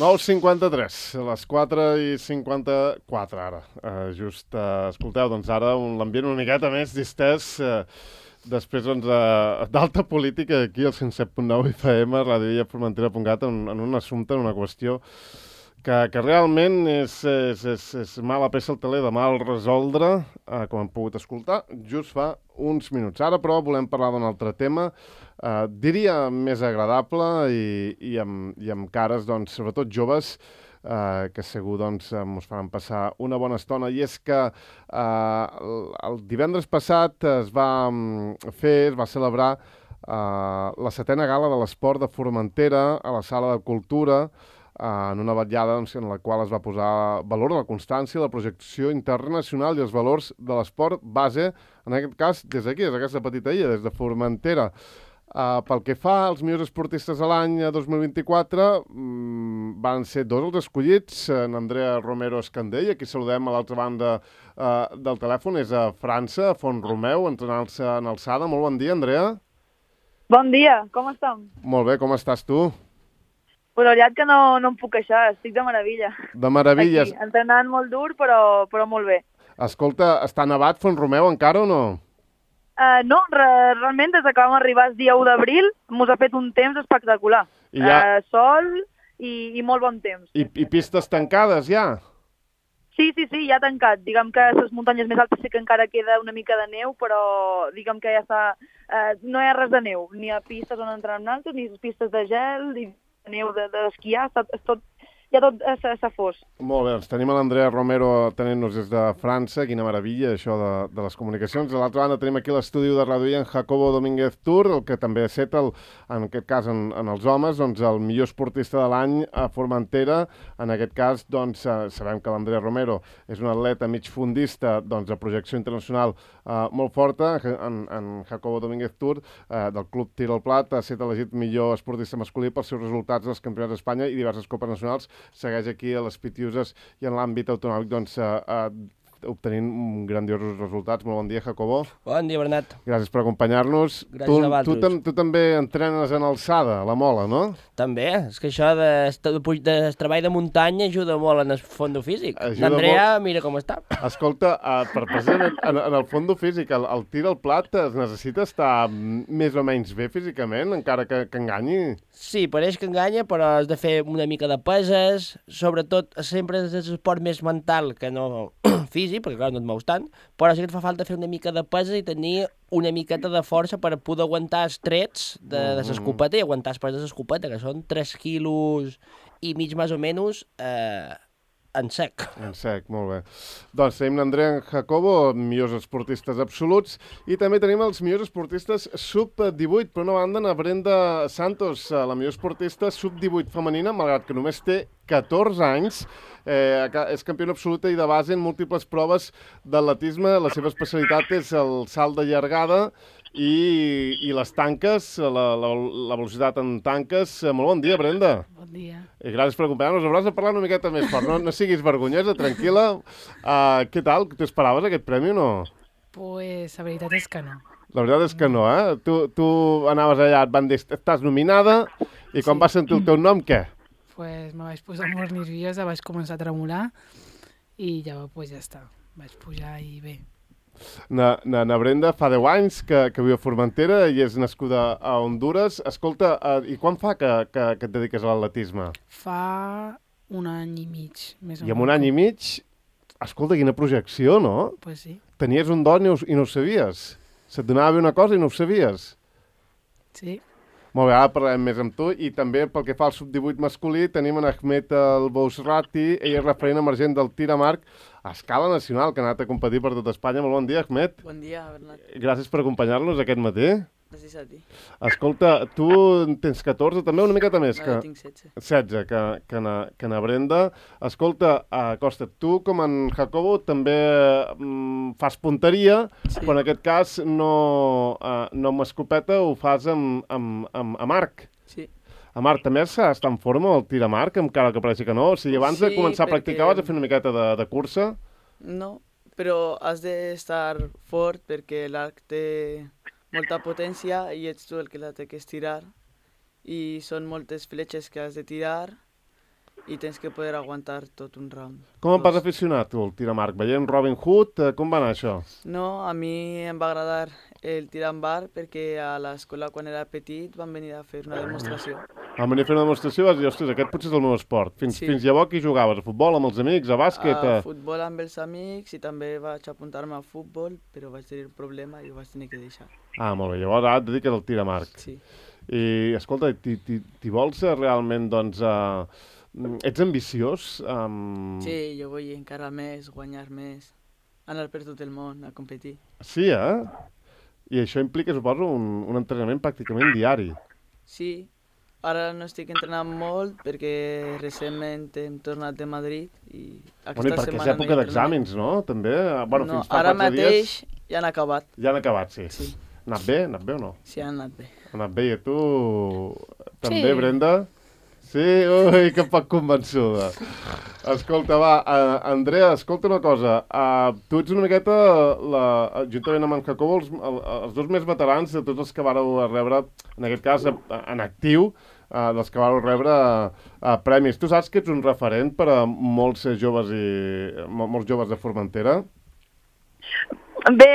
9:53, a les 4:54 ara. Escolteu, doncs ara l'ambient una miqueta més distès, després doncs, d'alta política aquí al 107.9 FM, Ràdio Illa Formentera.cat, en un assumpte, en una qüestió que realment és mala peça al teler de mal resoldre, com hem pogut escoltar, just fa uns minuts. Ara, però, volem parlar d'un altre tema, diria més agradable i amb cares, doncs, sobretot joves, que segur doncs, ens faran passar una bona estona. I és que el divendres passat es va celebrar la 7a gala de l'esport de Formentera a la Sala de Cultura, en una vetllada doncs, en la qual es va posar valor a la constància, la projecció internacional i els valors de l'esport base, en aquest cas, des d'aquí, des d'aquesta petita illa, des de Formentera. Pel que fa als millors esportistes de l'any 2024, van ser dos els escollits, en Andrea Romero Escandell, aquí saludem a l'altra banda del telèfon, és a França, a Font-romeu, entrenant-se en alçada. Molt bon dia, Andrea. Bon dia, com estem? Molt bé, com estàs tu? Pues la veritat que no em puc queixar, estic de meravella. De meravella. Aquí, entrenant molt dur, però molt bé. Escolta, està nevat Font-romeu encara o no? No, realment des que vam arribar el dia 1 d'abril mos ha fet un temps espectacular. Sol i molt bon temps. I pistes tancades ja? Sí, ja ha tancat. Diguem que a les muntanyes més altes sí que encara queda una mica de neu, però diguem que ja està... no hi ha res de neu, ni a pistes on entrenem nosaltres, ni pistes de gel, ni neu d'esquiar, ja tot s'ha fos. Molt bé, doncs tenim l'Andrea Romero atenent-nos des de França, quina meravella això de les comunicacions. De l'altra banda tenim aquí l'estudi de Ràdio Illa en Jacobo Domínguez Tur, el que també ha set, en aquest cas en els homes, doncs, el millor esportista de l'any a Formentera. En aquest cas, doncs, sabem que l'Andrea Romero és un atleta migfondista doncs, de projecció internacional molt forta. En Jacobo Domínguez Tur, del Club Tir al Plat, ha set elegit millor esportista masculí pels seus resultats als Campionats d'Espanya i diverses copes nacionals. Segueix aquí a les Pitiuses i en l'àmbit autonòmic doncs, obtenint grandiosos resultats. Molt bon dia, Jacobo. Bon dia, Bernat. Gràcies per acompanyar-nos. Gràcies a vosaltres. Tu també entrenes en alçada, a la mola, no? També, és que això de treball de muntanya ajuda molt en el fondo físic. L'Andrea, mira com està. Escolta, precisament en el fondo físic, el tir al plat es necessita estar més o menys bé físicament, encara que enganyi? Sí, pareix que enganya, però has de fer una mica de peses, sobretot sempre és l'esport més mental que no físic, perquè clar, no et mous tant, però sí que et fa falta fer una mica de peses i tenir una miqueta de força per poder aguantar els trets de l'escopeta i aguantar els pes de l'escopeta, que són 3 quilos i mig més o menys en sec. En sec, molt bé. Doncs tenim l'Andrea Jacobo, millors esportistes absoluts, i també tenim els millors esportistes sub-18. Per una banda, na Brenda Santos, la millor esportista sub-18 femenina, malgrat que només té 14 anys, és campiona absoluta i de base en múltiples proves d'atletisme. La seva especialitat és el salt de llargada i les tanques, la velocitat en tanques. Molt bon dia, Brenda. Bon dia. I gràcies per acompanyar-nos. Hauràs de parlar una miqueta més fort. No siguis vergonyosa, tranquil·la. Què tal? T'esperaves aquest premi o no? Pues la veritat és que no. La veritat és que no, eh? Tu anaves allà, et van dir, estàs nominada, i quan vas sentir el teu nom, què? Pues me vaig posar molt nerviosa, vaig començar a tremolar i ja està. Vaig pujar i bé. Na Brenda fa 10 anys que viu a Formentera i és nascuda a Hondures. Escolta, i quan fa que et dediques a l'atletisme? Fa un any i mig, més o menys. I en un any i mig, escolta, quina projecció, no? Pues sí. Tenies un don i no ho sabies. Se't donava bé una cosa i no ho sabies. Sí. Molt bé, ara parlarem més amb tu. I també pel que fa al sub-18 masculí tenim en Ahmed El Bousrati, ell és referent emergent del tir amb arc a escala nacional, que ha anat a competir per tot Espanya. Molt bon dia, Ahmed. Bon dia, Bernat. Gràcies per acompanyar-nos aquest matí. Gràcies a ti. Escolta, tu tens 14, també una miqueta més. Jo tinc 16. 16, que na Brenda. Escolta, Costa, tu com en Jacobo també fas punteria, Sí. però en aquest cas no amb escopeta, ho fas amb arc. Sí. Amb arc, també està en forma el tir amb arc, encara que pareixi que no? O sigui, abans de Sí, començar a practicar perquè- vas a fer una miqueta de cursa? No, però has d'estar fort perquè l'arc té molta potència i ets tu el que la té que estirar. I són moltes fletxes que has de tirar i tens que poder aguantar tot un round. Com em vas aficionar, tu, al tir amb arc? Veient Robin Hood, com va anar això? No, a mi em va agradar el tir amb arc perquè a l'escola quan era petit van venir a fer una demostració. Vam venir a fer una demostració i vas dir, ostres, aquest potser és el meu esport. Fins llavors aquí jugaves? A futbol amb els amics, a bàsquet? A futbol amb els amics i també vaig apuntar-me a futbol, però vaig tenir un problema i ho vaig tenir que deixar. Ah, molt bé. Llavors ara et dediques al tir amb arc. Sí. I, escolta, t'hi vols realment, doncs... Ets ambiciós? Sí, jo vull encara més, guanyar més, anar per tot el món a competir. Sí, I això implica, suposo, un entrenament pràcticament diari. Sí, ara no estic entrenant molt perquè recentment hem tornat de Madrid i aquesta Perquè setmana és època d'exàmens, no? També? Bueno, no, fins fa ara 4 mateix dies... ja han acabat. Ja han acabat, sí. Sí. Ha anat bé o no? Sí, han anat bé. Ha anat bé, i tu també, Sí. Brenda? Sí? Ui, que poc convençuda. Escolta, va, Andrea, escolta una cosa. Tu ets una miqueta, juntament amb en Jacobo, els dos més veterans de tots els que vareu rebre, en aquest cas, en actiu, dels que vareu rebre premis. Tu saps que ets un referent per a molts joves de Formentera? Bé,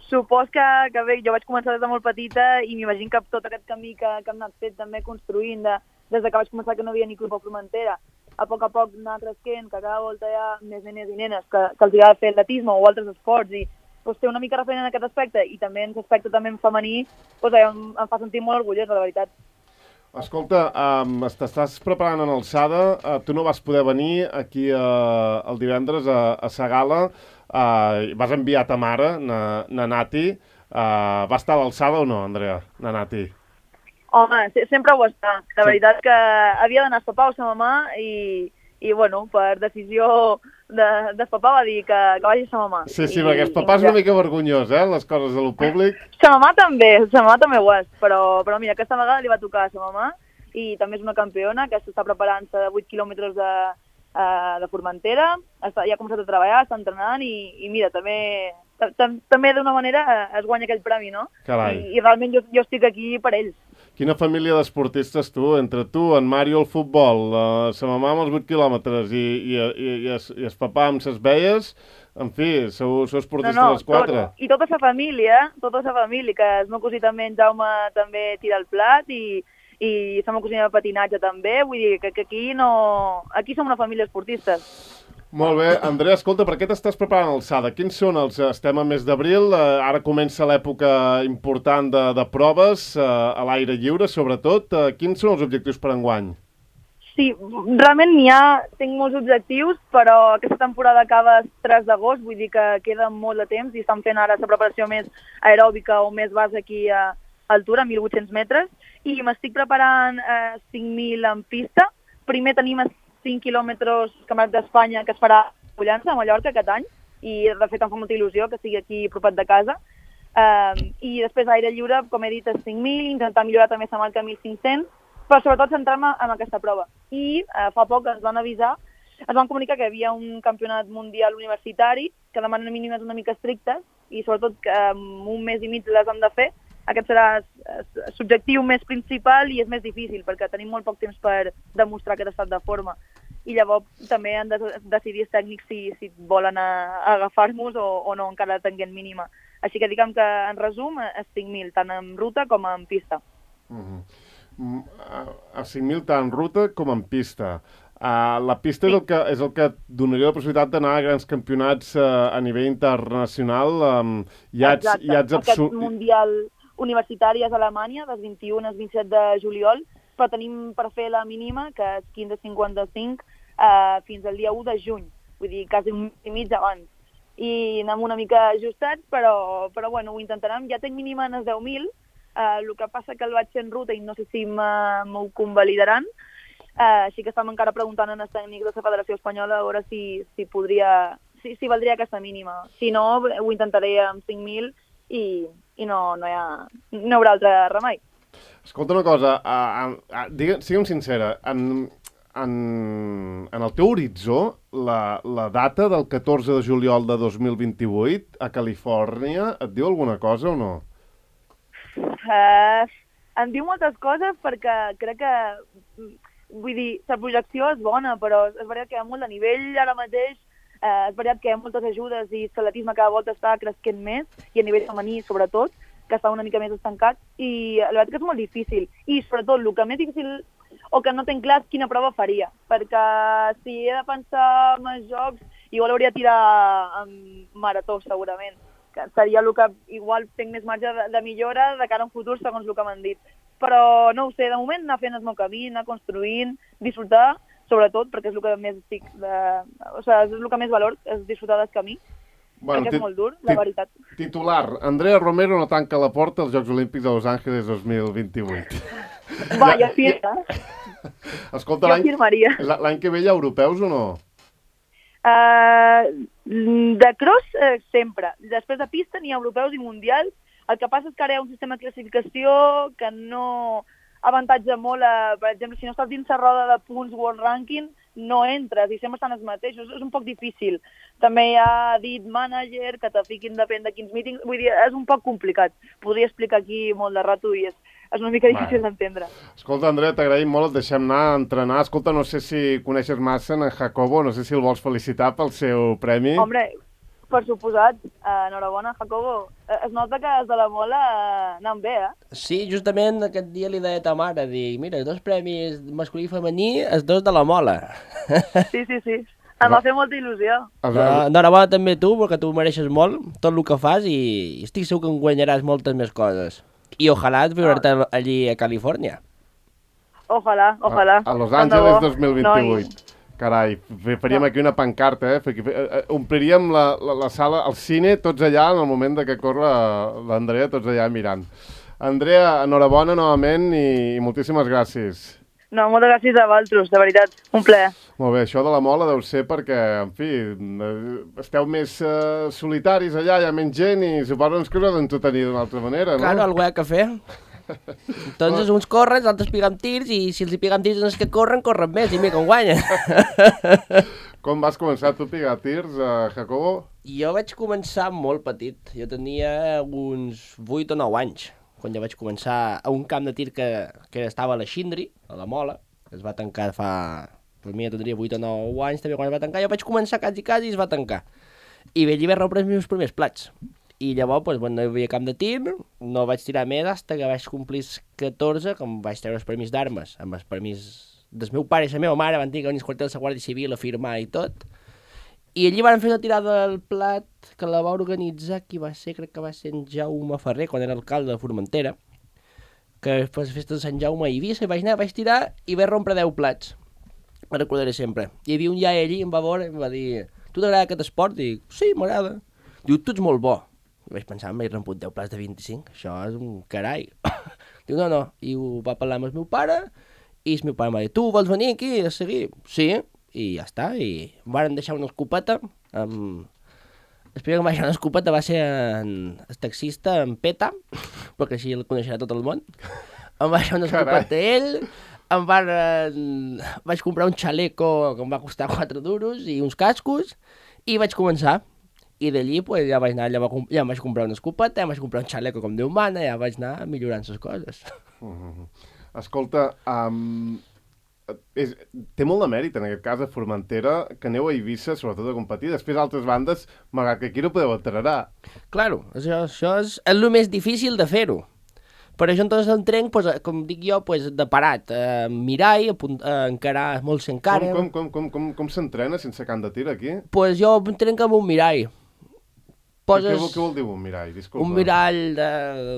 supos que bé, jo vaig començar des de molt petita i m'imagino que tot aquest camí que hem anat fet també construint des que vaig començar que no hi havia ni club a Formentera, a poc anar cresquent, que cada volta hi ha més nenes i nenes que els agrada fer atletisme o altres esports i doncs, ser una mica referent en aquest aspecte i també en l'aspecte també femení, doncs, em fa sentir molt orgullosa, la veritat. Escolta, t'estàs preparant en alçada, tu no vas poder venir aquí el divendres a Sagala, vas enviar ta mare, na Nati, va estar a l'alçada o no, Andrea, na Nati? Home, sempre ho està. La veritat que havia d'anar a sopar a sa mamà i bueno, per decisió de papà va dir que vagi a sa mamà. Sí, perquè el papà és una mica vergonyós, les coses de lo públic. Sa mamà també ho és, però mira, aquesta vegada li va tocar a sa mamà i també és una campiona que s'està preparant-se de 8 quilòmetres de Formentera, ja ha començat a treballar, està entrenant i mira, també d'una manera es guanya aquell premi, no? Carai. I realment jo estic aquí per ells. Quina família d'esportistes tu, entre tu, en Mario al futbol, sa mamà amb els 8 quilòmetres i el papà amb ses veies, en fi, sou esportistes els 4. I tota sa família, que el meu cosí també, en Jaume, també tira el plat i la meva cosina de patinatge també, vull dir que aquí som una família esportistes. Molt bé. Andrea, escolta, per què t'estàs preparant l'alçada? Quins són estem a mes d'abril, ara comença l'època important de proves, a l'aire lliure, sobretot. Quins són els objectius per enguany? Sí, realment tinc molts objectius, però aquesta temporada acaba el 3 d'agost, vull dir que queda molt de temps i estan fent ara la preparació més aeròbica o més base aquí a altura, 1.800 metres, i m'estic preparant 5.000 en pista. Primer tenim 5 quilòmetres Campionat d'Espanya que es farà a Pollença, a Mallorca, aquest any, i de fet em fa molta il·lusió que sigui aquí propat de casa. I després aire lliure, com he dit, 5.000, intentar millorar també la marca 1.500, però sobretot centrar-me en aquesta prova. I fa poc ens van comunicar que hi havia un campionat mundial universitari que demanen mínimes una mica estrictes i sobretot que en un mes i mig les han de fer. Aquest serà l'objectiu més principal i és més difícil perquè tenim molt poc temps per demostrar aquest estat de forma. I llavors també han de decidir els tècnics si volen agafar-nos o no, encara tenint mínima. Així que diguem que, en resum, és 5.000, tant en ruta com en pista. A 5.000 tant en ruta com en pista. La pista és el que donaria la possibilitat d'anar a grans campionats a nivell internacional. Exacte, aquest mundial universitari és a Alemanya, des 21 al 27 de juliol, però tenim per fer la mínima, que és 15.55, fins al dia 1 de juny, vull dir, quasi un mes i mig abans. I anem una mica ajustats, però bueno, ho intentarem. Ja tinc mínima en els 10.000, el que passa que el vaig fer en ruta i no sé si m'ho convalidaran, així que estem encara preguntant als tècnics de la Federació Espanyola a veure si valdria aquesta mínima. Si no, ho intentaré amb 5.000 i no hi haurà altre remei. Escolta una cosa, sigue'm sincera, en el teu horitzó, la data del 14 de juliol de 2028 a Califòrnia et diu alguna cosa o no? Em diu moltes coses perquè crec que vull dir, la projecció és bona, però és veritat que hi ha molt de nivell ara mateix, és veritat que hi ha moltes ajudes i l'atletisme cada volta està cresquent més, i a nivell femení sobretot, que està una mica més estancat, i la veritat que és molt difícil. I sobretot el que més difícil, o que no tenc clar, és quina prova faria, perquè si he de pensar en els jocs, igual hauria de tirar en marató segurament, que seria el que igual tinc més marge de millora de cara a un futur segons el que m'han dit. Però no ho sé, de moment anar fent el meu camí, anar construint, disfrutar, sobretot, perquè és el que més estic o sigui, és el que més valor, és disfrutar del camí, perquè és molt dur, la veritat. Titular, Andrea Romero no tanca la porta als Jocs Olímpics de Los Angeles 2028. Va, jo firma. Escolta, jo firmaria. L'any que ve hi ha europeus o no? De cross, sempre. Després de pista n'hi ha europeus i mundials. El que passa és que ara hi ha un sistema de classificació que no avantatja molt, per exemple, si no estàs dins la roda de punts World Ranking, no entres i sempre estan els mateixos. És un poc difícil. També hi ha dit manager, que te fiquin depèn de quins mítings. Vull dir, és un poc complicat. Podria explicar aquí molt de rato i és una mica difícil d'entendre. Escolta, Andrea, t'agraïm molt, et deixem anar a entrenar. Escolta, no sé si coneixes massa en Jacobo, no sé si el vols felicitar pel seu premi. Hombre, per suposat, enhorabona, Jacobo. Es nota que és de la Mola anant bé, Sí, justament aquest dia li deia a ta mare, dic, mira, 2 premis masculí i femení, els 2 de la Mola. Sí. Em va fer molta il·lusió. Enhorabona també tu, perquè tu mereixes molt tot el que fas i estic segur que en guanyaràs moltes més coses. I ojalà viure-te allí a Califòrnia. Ojalà. A Los Angeles 2028. Carai, faríem aquí una pancarta, ompliríem la sala, el cine, tots allà, en el moment que corre l'Andrea, tots allà mirant. Andrea, enhorabona novament i moltíssimes gràcies. No, moltes gràcies a vosaltres, de veritat, un plaer. Molt bé, això de la Mola deu ser perquè, en fi, esteu més solitaris allà, hi ha menys gent i suposo que us heu d'entretenir d'una altra manera, no? Claro, algo hi ha que fer. Entonces uns corren, els altres piguen tirs i si els hi piguen tirs els que corren més i mira com guanyen. Com vas començar tu a pigar tirs, Jacobo? Jo vaig començar molt petit, jo tenia uns 8 o 9 anys, quan jo vaig començar a un camp de tir que estava a la Xindri, a la Mola, es va tancar fa... Per mi ja tindria 8 o 9 anys també quan es va tancar, jo vaig començar quasi i es va tancar. I allí vaig rebre els meus primers plats. I llavors, doncs, quan no hi havia camp de tir, no vaig tirar més fins que vaig complir 14, que em vaig treure els permís d'armes, amb els permís del meu pare i la meva mare, van dir que venís quartel de la Guàrdia Civil a firmar i tot. I allí van fer una tirada del plat que la va organitzar, qui va ser, crec que va ser en Jaume Ferrer, quan era alcalde de Formentera, que després de festa de Sant Jaume a Eivissa, vaig anar, vaig tirar i vaig rompre 10 plats. Me'n recordaré sempre. Hi havia un iaia allí, em va veure i em va dir, tu t'agrada aquest esport? Dic, sí, m'agrada. Diu, tu ets molt bo. I vaig pensar, m'he romput 10 plats de 25, això és un carai. Diu, no, i ho va parlar amb el meu pare, i el meu pare em va dir, tu vols venir aquí a seguir? Sí, i ja està, i em van deixar una escopeta, el primer que em va deixar una escopeta va ser el taxista, en Peta, perquè així el coneixerà tot el món, em va deixar una escopeta ell, vaig comprar un xaleco que em va costar 4 duros i uns cascos, i vaig començar. I d'allí pues, ja vaig anar, ja em vaig comprar una escopeta, ja em vaig comprar un xaleco com Déu mana, ja vaig anar millorant les coses. Escolta, té molt de mèrit en aquest cas a Formentera que aneu a Eivissa, sobretot a competir. Després altres bandes, malgrat que aquí no podeu entrenar. Claro, això és el més difícil de fer-ho. Per això entonces entrenc, pues, com dic jo, pues, de parat, mirar i encarar molt s'encara. Com s'entrena sense camp de tir aquí? Pues jo entrenc amb un mirall. Què vol dir un mirall? Disculpa. Un mirall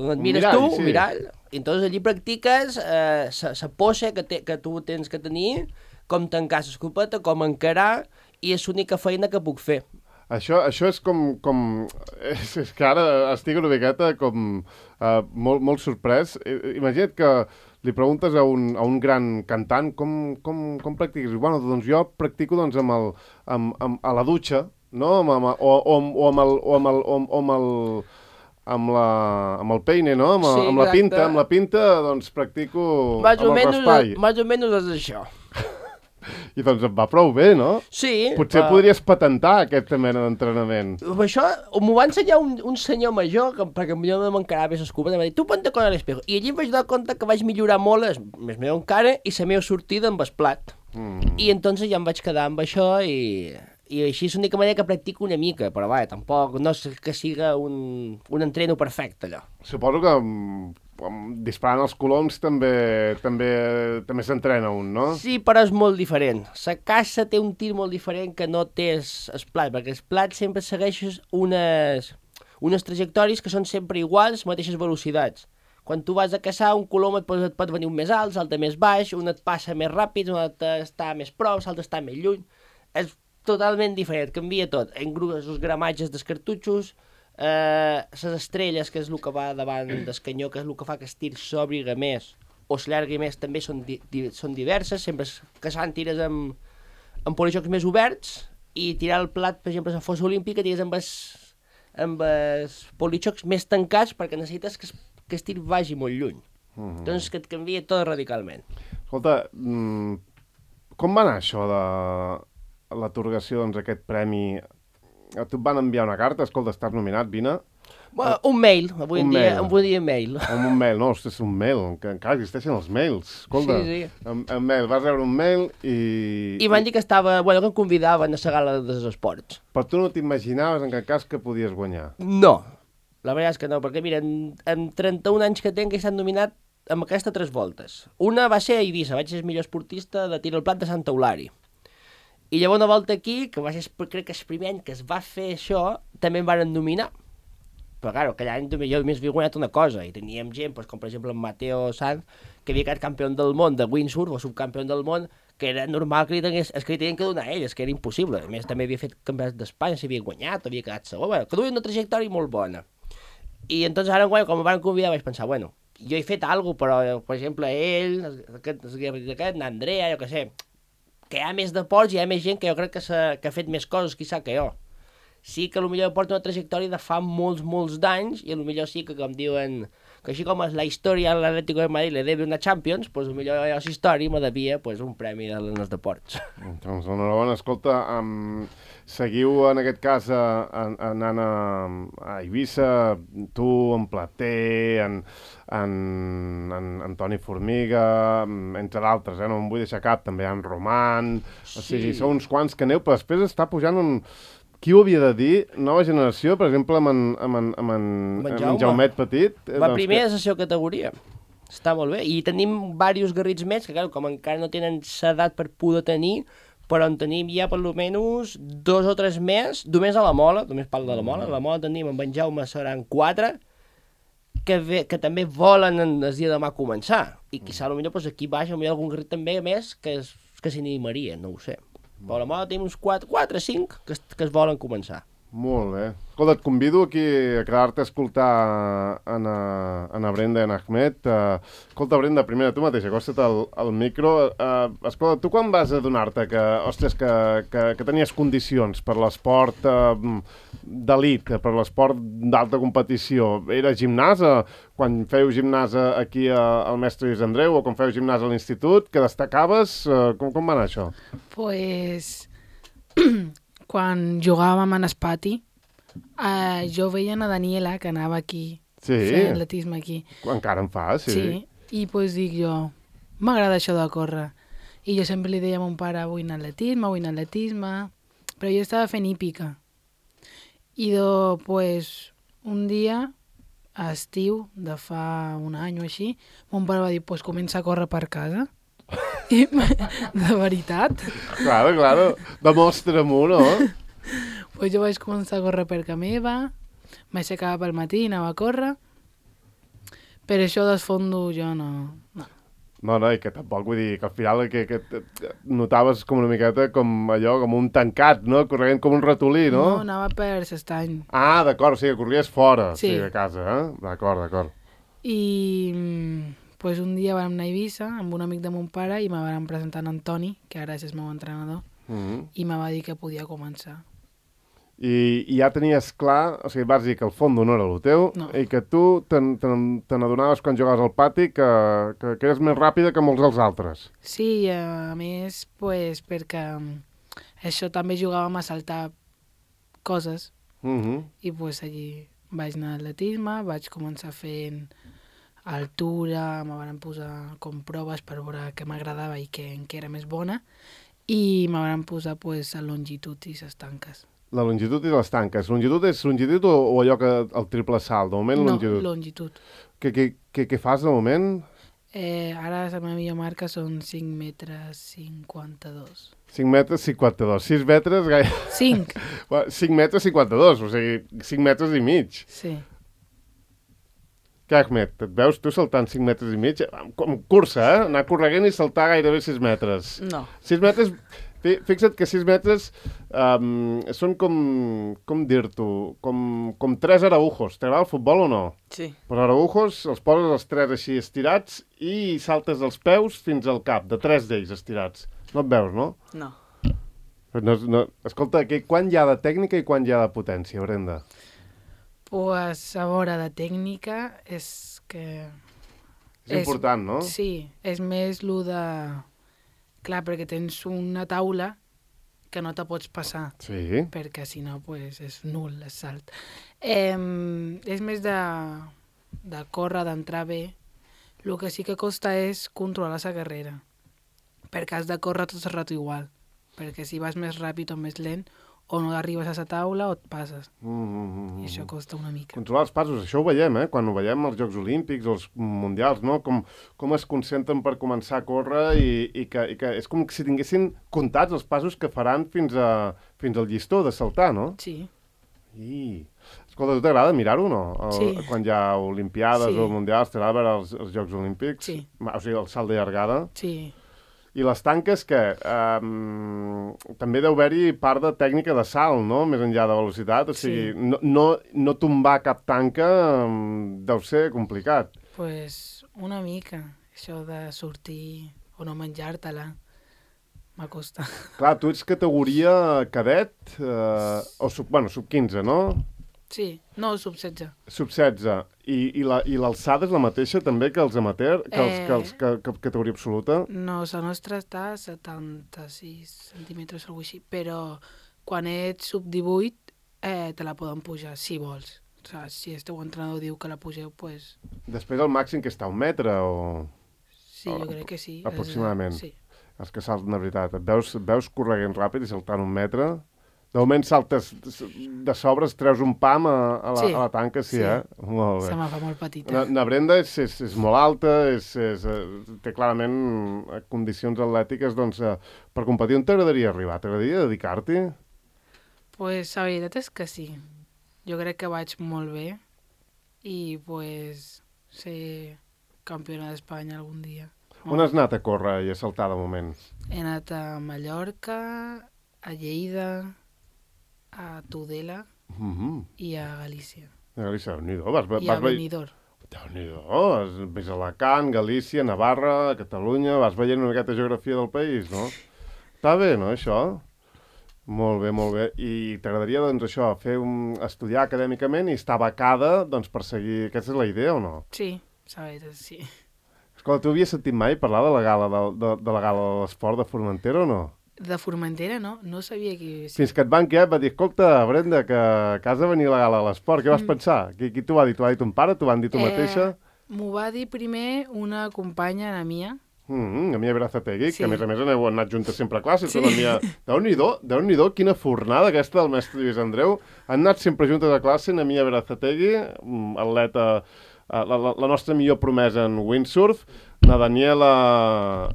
on et mires tu, un mirall. I entonces allí practiques la pose que tu tens que tenir, com tancar l'escopeta, com encarar, i és l'única feina que puc fer. Això és com... És que ara estic una miqueta com molt sorprès. Imagina't que li preguntes a un gran cantant com practiques. Bueno, doncs jo practico doncs, a la dutxa, no? Amb el peine, no? Amb la pinta, doncs practico amb el raspall. Més o menys és això. I doncs et va prou bé, no? Sí. Potser podries patentar aquesta mena d'entrenament. Això m'ho va ensenyar un senyor major, perquè jo no m'encarava bé l'escupa, em va dir, tu ponte con l'espejo. I allí em vaig donar compte que vaig millorar molt més meu encara i la meva sortida amb el plat. I entonces ja em vaig quedar amb això i així és l'única manera que practico una mica, però va, tampoc no és que siga un entreno perfecte, allò. Suposo que disparant els coloms també s'entrena un, no? Sí, però és molt diferent. La caça té un tir molt diferent que no té el plat, perquè el plat sempre segueix unes trajectòries que són sempre iguals, mateixes velocitats. Quan tu vas a caçar, un colom et pot venir un més alt, l'altre més baix, un et passa més ràpid, un altre està més prop, l'altre està més lluny. És totalment diferent, canvia tot. Els gramatges dels cartutxos, les estrelles, que és el que va davant del canyó, que és el que fa que el tir s'obriga més o s'allargui més, també són diverses. Sempre caçant tires amb polijocs més oberts i tirar el plat, per exemple, a la fossa olímpica, tires amb els polijocs més tancats perquè necessites que el tir vagi molt lluny. Doncs que et canvia tot radicalment. Escolta, com va anar això de l'atorgació d'aquest premi? A tu et van enviar una carta, escolta, estàs nominat, vine. Bueno, un mail, avui en dia mail. Un mail, no, ostres, un mail, que encara existeixen els mails. Escolta, sí. En mail, vas rebre un mail i... I van dir que que em convidaven a la gala dels esports. Però tu no t'imaginaves en cap cas que podies guanyar? No, la veritat és que no, perquè mira, en 31 anys que tinc he estat nominat amb aquesta 3 voltes. Una va ser a Eivissa, vaig ser el millor esportista de tir al plat de Santa Eulària. I llavors una volta aquí, que va ser, crec que el primer any que es va fer això, també em van nominar. Però, clar, aquell any jo més havia guanyat una cosa, i teníem gent, com per exemple en Mateo Sanz, que havia quedat campió del món de windsurf, o subcampió del món, que era normal que li tenien que donar a ell, que era impossible. A més, també havia fet campionats d'Espanya, s'havia guanyat, havia quedat segon, que duia una trajectòria molt bona. I entonces ara, quan em van convidar, vaig pensar, bueno, jo he fet alguna cosa, però, per exemple, ell, aquest, n'Andrea, jo què sé, que hi ha més deports, hi ha més gent que jo crec que ha fet més coses, quizà, que jo. Sí que potser porta una trajectòria de fa molts d'anys i potser sí que, com diuen, que així com és la història a l'Atlético de Madrid le debe una Champions, doncs potser jo la història me devia un premi dels deports. Doncs enhorabona, escolta, seguiu en aquest cas anant a Eivissa, tu, en Plater, en Toni Formiga, entre d'altres, no em vull deixar cap, també en Roman, o sigui, són uns quants que aneu, però després està pujant qui ho havia de dir? Nova generació, per exemple, amb en Jaumet Petit. Va primer a la seva categoria. Està molt bé. I tenim diversos garrits més, que clar, com encara no tenen l'edat per poder tenir, però en tenim ja per almenys 2 o 3 més, només a la Mola, només parlo de la Mola. A la Mola tenim amb en Jaume seran 4, que també volen el dia de demà començar. I quizà potser aquí baix hi ha algun garrit també més que s'animaria, no ho sé. Però a la Mola tenim uns 4 o 5 que es volen començar. Molt bé. Escolta, et convido aquí a quedar-te a escoltar a Brenda i en Ahmed. Escolta, Brenda, primera, tu mateixa, acosta't al micro. Escolta, tu quan vas adonar-te que, ostres, que tenies condicions per l'esport d'elit, per l'esport d'alta competició? Era gimnàs? Quan feu gimnàs aquí al mestre Lluís Andreu o quan feu gimnàs a l'institut, que destacaves? Com va anar això? Pues... quan jugàvem en el pati, jo veia a Daniela, que anava aquí, fent atletisme aquí. Encara en fa, sí. Sí, i pues dic jo, m'agrada això de córrer. I jo sempre li deia a mon pare, vull anar a atletisme, però jo estava fent hípica. I pues, un dia, a estiu, de fa un any o així, mon pare va dir, pues comença a córrer per casa. I, de veritat. Claro, demostra-m'ho, no? Pues jo vaig començar a córrer per casa meva, m'aixecava pel matí, anava a córrer, per això del fondo jo no. No, i que tampoc vull dir que al final que notaves com una miqueta com allò, com un tancat, no? Corrent com un ratolí, no? No, anava per l'estany. Ah, d'acord, o sigui, que corries fora, sí, de casa, D'acord. I... pues un dia vam anar a Eivissa amb un amic de mon pare i me van presentar en Toni, que ara és el meu entrenador, i me va dir que podia començar. I ja tenies clar, o sigui, vas dir que el fondo no era el teu i que tu te n'adonaves quan jugaves al pati que eres més ràpida que molts dels altres. Sí, a més, pues, perquè això també jugàvem a saltar coses i pues allí vaig anar a atletisme, vaig començar fent altura, me van posar com proves per veure què m'agradava i què era més bona i me van posar pues, a longitud i les tanques. La longitud i les tanques. Longitud és longitud o allò que el triple salt? De moment, longitud. No, longitud. Què fas de moment? Ara la meva millor marca són 5 metres 52. 5 metres 52. 6 metres... 5. 5 metres 52, o sigui, 5 metres i mig. Sí. Què, Ahmed, et veus tu saltant 5 metres i mig? Com cursa, anar corregent i saltar gairebé 6 metres. No. 6 metres... Fixa't que 6 metres són com dir-t'ho, com 3 araujos. T'agrada el futbol o no? Sí. Però araujos els poses els 3 així estirats i saltes els peus fins al cap, de 3 d'ells estirats. No et veus, no? No. Escolta, quan hi ha de tècnica i quan hi ha de potència, Brenda? Pues a veure, de tècnica és que... És important, no? Sí, és més lo de... Clar, perquè tens una taula que no te pots passar. Sí. Perquè si no, pues, és nul el salt. És més de córrer, d'entrar bé. El que sí que costa és controlar la carrera. Perquè has de córrer tot el rato igual. Perquè si vas més ràpid o més lent, o no arribes a la taula o et passes. I això costa una mica. Controlar els passos, això ho veiem, quan ho veiem als Jocs Olímpics o als Mundials, no? Com es concentren per començar a córrer i que és com si tinguessin comptats els passos que faran fins al llistó de saltar, no? Sí. Escolta, tu t'agrada mirar-ho, no? Sí. Quan hi ha olimpiades o mundials, t'agrada veure els Jocs Olímpics? Sí. O sigui, el salt de llargada? Sí. I les tanques, què? També deu haver-hi part de tècnica de salt, no? Més enllà de velocitat. O sigui, no tombar cap tanca deu ser complicat. Pues una mica. Això de sortir o no menjar-te-la m'acosta. Clar, tu ets categoria cadet o sub-15, no? Sí, no, sub-16. Sub-16. I l'alçada és la mateixa també que els amateur, que categoria absoluta? No, la nostra està a 76 centímetres o alguna cosa així, però quan ets sub-18 te la poden pujar, si vols. O sigui, si el teu entrenador diu que la pugeu, doncs... Pues... Després el màxim que està 1 metre o... Sí, jo crec que sí. Aproximadament. Sí. Els que salten de veritat. Et veus correguent ràpid i saltant 1 metre... De moment saltes de sobres, treus un pam a la tanca, sí. Molt bé. Se me fa molt petita. Na Brenda és molt alta, té clarament condicions atlètiques doncs, per competir. On t'agradaria arribar? T'agradaria dedicar-t'hi? Pues la veritat és que sí. Jo crec que vaig molt bé i pues ser campiona d'Espanya algun dia. On has anat a córrer i a saltar de moment? He anat a Mallorca, a Lleida, a Tudela i a Galícia. A Galícia, Déu-n'hi-do. I a Benidorm. Déu-n'hi-do. Has vist Alacant, Galícia, Navarra, Catalunya... Vas veient una miqueta geografia del país, no? Està bé, no, això? Molt bé, molt bé. I t'agradaria, doncs, això, estudiar acadèmicament i estar becada, doncs, per seguir... Aquesta és la idea, o no? Sí, la veritat, sí. Escolta, tu havies sentit mai parlar de la gala de l'esport de Formentera o no? De Formentera, no? No sabia que... Fins que et van quedar, va dir, escolta, Brenda, que has de venir a la gala de l'esport. Què vas pensar? Qui t'ho va dir? T'ho va dir ton pare? T'ho van dir tu mateixa? M'ho va dir primer una companya, la Mia. La Mia Berazategui, Sí. que a més heu anat juntes sempre a classes. Sí. La Mia... Déu-n'hi-do, quina fornada aquesta del mestre Lluís Andreu. Han anat sempre juntes a classe, la Mia Berazategui, atleta, la nostra millor promesa en windsurf, na Daniela,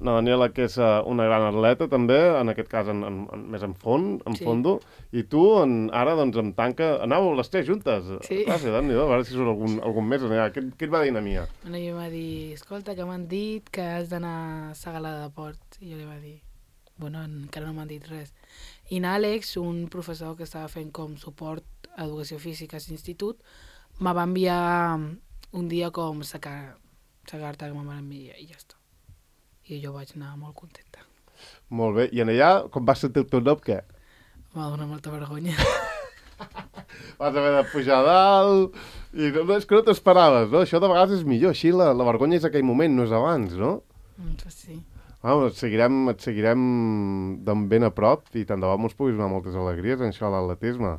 que és una gran atleta també, en aquest cas més en fondo, i tu ara doncs amb tanca, anàveu les 3 juntes. Sí. A veure si surt algun més. Què et va dir na Mia? Bueno, jo va dir, escolta, que m'han dit que has d'anar a la gala de port. I jo li va dir, bueno, encara no m'han dit res. I n'Àlex, un professor que estava fent com suport a educació física a l'institut, me va enviar un dia com la carta que me van enviar i ja està. I jo vaig anar molt contenta. Molt bé. I en allà, com vas sentir el teu nom, què? Em va donar molta vergonya. vas haver de pujar a dalt, i no, és que no t'esperaves, no? Això de vegades és millor, així la vergonya és aquell moment, no és abans, no? Pues sí. Et seguirem d'en ben a prop i tant de bo ens puguis donar moltes alegries en això de l'atletisme.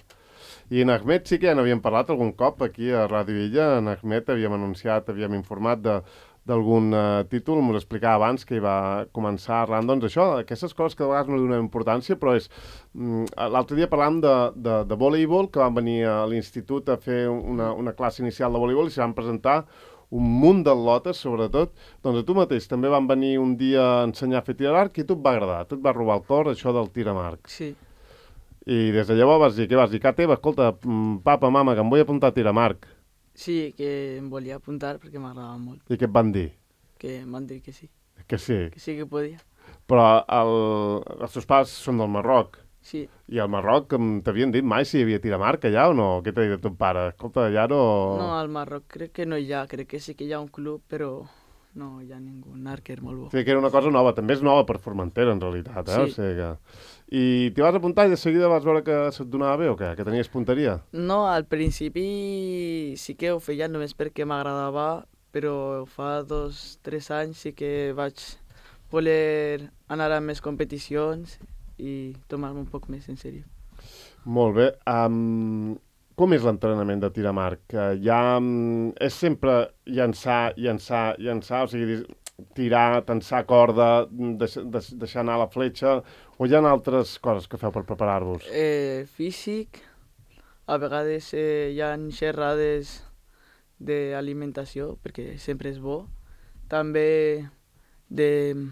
I en Ahmed sí que ja n'havíem parlat algun cop aquí a Ràdio Illa. En Ahmed havíem anunciat, havíem informat d'algun títol, m'ho explicava abans que hi va començar arran, doncs això, aquestes coses que de vegades no li donem importància, però és... L'altre dia parlàvem de voleibol, que van venir a l'institut a fer una classe inicial de voleibol i s'hi van presentar un munt d'atletes, sobretot. Doncs a tu mateix també van venir un dia a ensenyar a fer tir a l'arc i a tu et va agradar, a tu et va robar el cor això del tir amb arc. Sí. I des de llavors vas dir, què vas dir? Casa teva, escolta, papa, mama, que em vull apuntar a tir amb arc. Sí, que em volia apuntar perquè m'agradava molt. I què et van dir? Que em van dir que sí. Que sí. Que sí que podia. Però els teus pares són del Marroc. Sí. I al Marroc t'havien dit mai si hi havia tir amb arc allà o no? Què t'ha dit ton pare? Escolta, allà no... No, al Marroc crec que no hi ha. Crec que sí que hi ha un club, però no hi ha ningú. Un arquer molt bo. O sigui que era una cosa nova. També és nova per Formentera, en realitat, eh? Sí. O sigui que... I t'hi vas apuntar i de seguida vas veure que se't donava bé o què? Que tenies punteria? No, al principi sí que ho feia només perquè m'agradava, però fa 2-3 anys sí que vaig voler anar a més competicions i tomar-me un poc més en sèrio. Molt bé. Com és l'entrenament de tir amb arc? És sempre llançar, o sigui, tirar, tensar corda, deixar anar la fletxa, o hi ha altres coses que feu per preparar-vos? Físic, a vegades hi ha xerrades d'alimentació, perquè sempre és bo. També de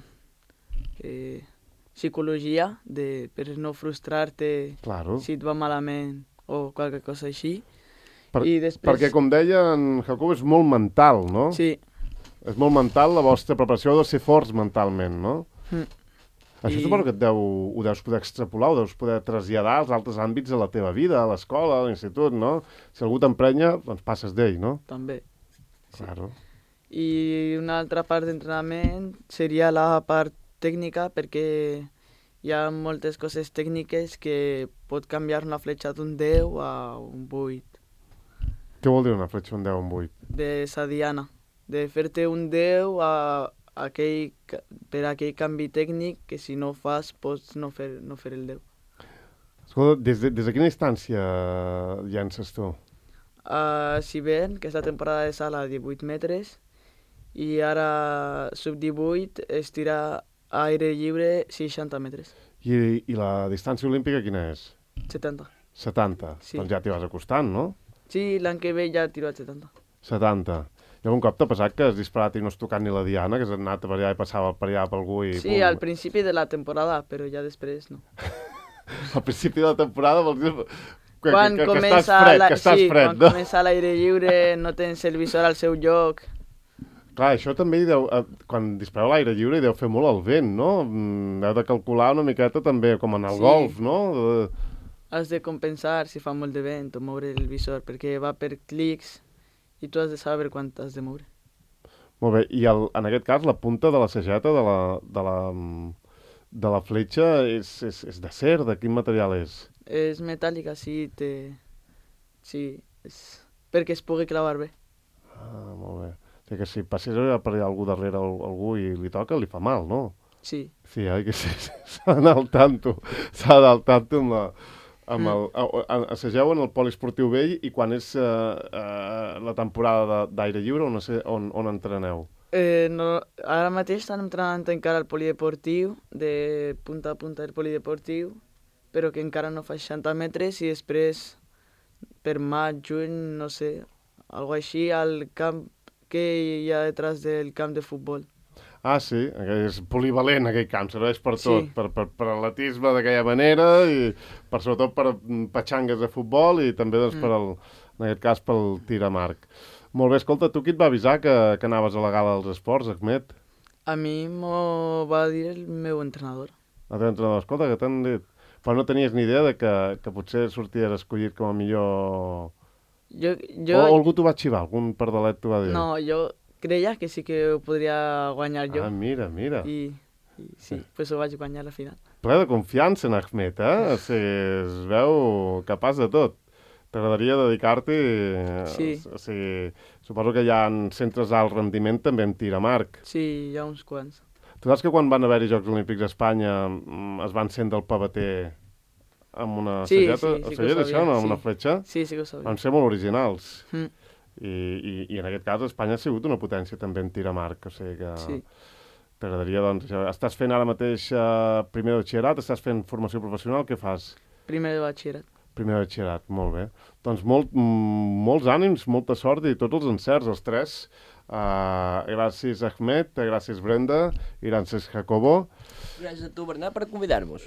psicologia, per no frustrar-te Claro. si et va malament o qualque cosa així. I després... Perquè, com deia en Jacob, és molt mental, no? Sí. És molt mental, la vostra preparació ha de ser forts mentalment, no? Això suposo que ho deus poder extrapolar, ho deus poder traslladar als altres àmbits de la teva vida, a l'escola, a l'institut, no? Si algú t'emprenya, doncs passes d'ell, no? També. Claro. I una altra part d'entrenament seria la part tècnica, perquè hi ha moltes coses tècniques que pot canviar una fletxa d'un 10 a un 8. Què vol dir una fletxa un 10 a un 8? De sa diana. De fer-te un 10 per aquell canvi tècnic que si no fas pots no fer el 10. Escolta, des de quina instància llences tu? Si ven, que és la temporada de sala, 18 metres, i ara sub-18 es tira a aire lliure 60 metres. I la distància olímpica quina és? 70. 70? Sí. Doncs ja t'hi vas acostant, no? Sí, l'any que ve ja tiro a 70. 70. I algun cop t'ha passat que has disparat i no has tocat ni la diana, que has anat per allà i passava per allà per algú i... Sí, al principi de la temporada, però ja després no. Al principi de la temporada vols dir... Quan que estàs fred, quan no? comença l'aire lliure, no tens el visor al seu lloc. Clar, això també quan dispareu a l'aire lliure hi deu fer molt el vent, no? Heu de calcular una miqueta també, com en el golf, no? Has de compensar si fa molt de vent o moure el visor, perquè va per clics i tu has de saber quan t'has de moure. Molt bé, i en aquest cas la punta de la sageta de la fletxa és d'acer, de quin material és? És metàl·lica, sí, perquè es pugui clavar bé. Ah, molt bé. O sigui que si passés per allà algú darrere algú i li toca, li fa mal, no? Sí. Sí, que sí, s'ha d'anar al tanto. S'ha d'anar al tanto assageu en el poliesportiu vell i quan és la temporada d'aire lliure on entreneu? No, ara mateix estan entrenant encara al polideportiu, de punta a punta del polideportiu, però que encara no fa 60 metres i després per maig, juny, no sé, algo així, al camp que hi ha detrás del camp de futbol. Ah, sí, és polivalent aquell camp, serveix per tot, Sí. per atletisme d'aquella manera i sobretot per petxangues de futbol i també doncs, en aquest cas pel tir amb arc. Molt bé, escolta, tu qui et va avisar que anaves a la gala dels esports, Ahmed? A mi m'ho va dir el meu entrenador. El teu entrenador, escolta, que t'han dit... Però no tenies ni idea de que potser sorties escollit com a millor... O algú t'ho va xivar, algun pardalet t'ho va dir? No, jo creia que sí que ho podria guanyar jo. Ah, mira. I sí, pues ho vaig guanyar al final. Ple de confiança en Ahmed, eh? O sigui, es veu capaç de tot. T'agradaria dedicar-t'hi? Sí. O sigui, suposo que hi ha centres d'alt rendiment també en tir amb arc. Sí, hi ha uns quants. Tu saps que quan van haver-hi Jocs Olímpics a Espanya es van encendre el pavater amb una sageta? Sí, Ho que ho sabies sabia, això, no? Amb sí. una fletxa? Sí, sí que ho sabia. Van ser molt originals. Mm. I en aquest cas Espanya ha sigut una potència també en tir amb arc, o sigui que Sí. t'agradaria, doncs, això. Estàs fent ara mateix primer de batxillerat, estàs fent formació professional, què fas? Primer de batxillerat. Primer de batxillerat, molt bé. Doncs molts ànims, molta sort i tots els encerts, els tres. Gràcies Ahmed, gràcies Brenda i gràcies Jacobo. Gràcies a tu, Bernat, per convidar-nos.